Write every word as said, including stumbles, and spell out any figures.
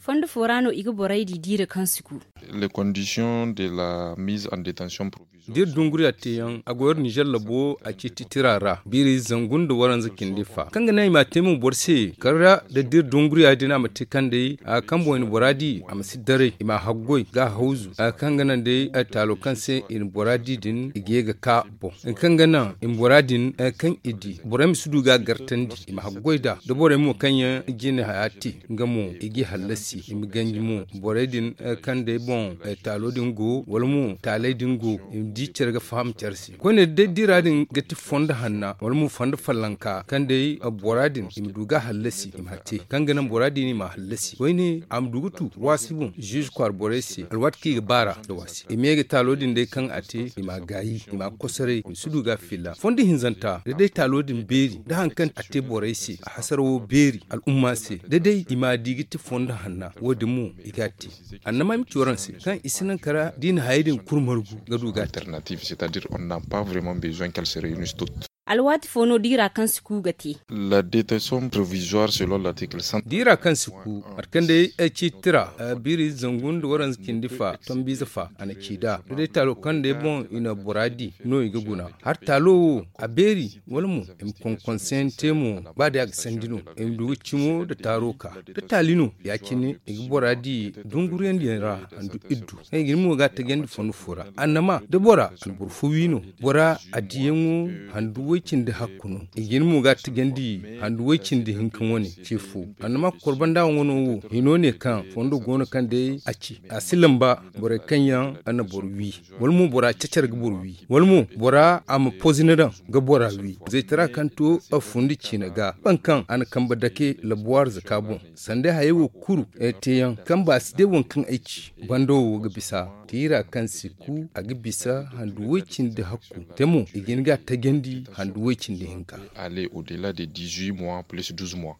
Fondo fo ra no i ga borey di diira kaŋ si ku. D'iri dunguriya teeyaŋ a go iri nizer labo a ciiti tira ra biiri zangu nda waranza cindi fa kaŋ ga naŋ i m'a te mo boro se kala da d'iri dunguriya din a ma te kaŋ day a ga kaŋ boŋ i na bora di a ma si daray i m'a haggoy ga a hawzu a ga kaŋ ga naŋ day taalo kaŋ se i na bora di din i ga ye ga ka boŋ. Kaŋ ga naŋ i ma bora din kaŋ i di borey ma si du ga a gartandi i ma haggoy nd'a da borey mo kaŋ yaŋ jine haya te nga mo i g'i hallasi i ma ganji mo borey din kaŋ day boŋ taalo din go wala mo taaley din go i ma di care ga faham care se koyne da day dira din ga ti fondo hanna wala mo fondo fallanka kaŋ day bora din i ma du ga a hallasi i ma a te kaŋ ga naŋ bora din i m'a hallasi koyne a ma du ga tu waasi boŋ ziize kwaara borey se alwaati kaŋ i ga baar'a nda waasi i ma ye ga taalo din day kaŋ a te i m'a gaayi i m'a kosoray i ma si du ga a filla fondo hinzanta da day taalo din beeri da hari kaŋ a te borey se a hasarawo beeri al'umma se da day i m'a di ga ti fondo hanna wo- din mo i ga a te annama ay ma ci waraŋ se kaŋ i si naŋ kara da i na hayey din kulu margu ga du ga a te. Alwaati fo no diira kaŋ si ku ga te. Diira kaŋ si ku mate kaŋ day ay ci tira biiri zangu nda waranza cindi fa tombiize fa a na ci nd'a da day taalo kaŋ day boŋ i na bora di no i ga guna hari taalo wo a beeri wala mo i ma konkonseyaŋ te mo ba day a ga sandi no i ma du ga cimo nda taaro ka da taali no ya-cine i ga bora di dunguriyandiyaŋ ra handu iddu kaŋ i ga ni mo ga a tajandi fondo fo ra annama da bora a na boro fo wi no bora a diyaŋo handu way-cindi hakku no i ga ni mo ga a tajandi handu way-cindi hinka wane ce fo annama korbandawa wano wo hino ne kaŋ fondo go no kaŋ day a ci a si lamba borey kaŋ yaŋ a na boro wi wala mo bora cacar ga boro wi wala mo bora a ma pozina daŋ ga bora wi zaytara kaŋ to a fundi ciina ga boro kaŋ a na kambe dake labuwaari zaka boŋ sanda hayey wo kulu teeyaŋ kaŋ ba si day waŋ kaŋ ay ci bando wo ga bisa tiira kaŋ si ku a ga bisa handu way-cindi hakku te mo i ga hin ga a tajandi handu way-cindi hinka. Aller au delà de dix-huit mois plus douze mois.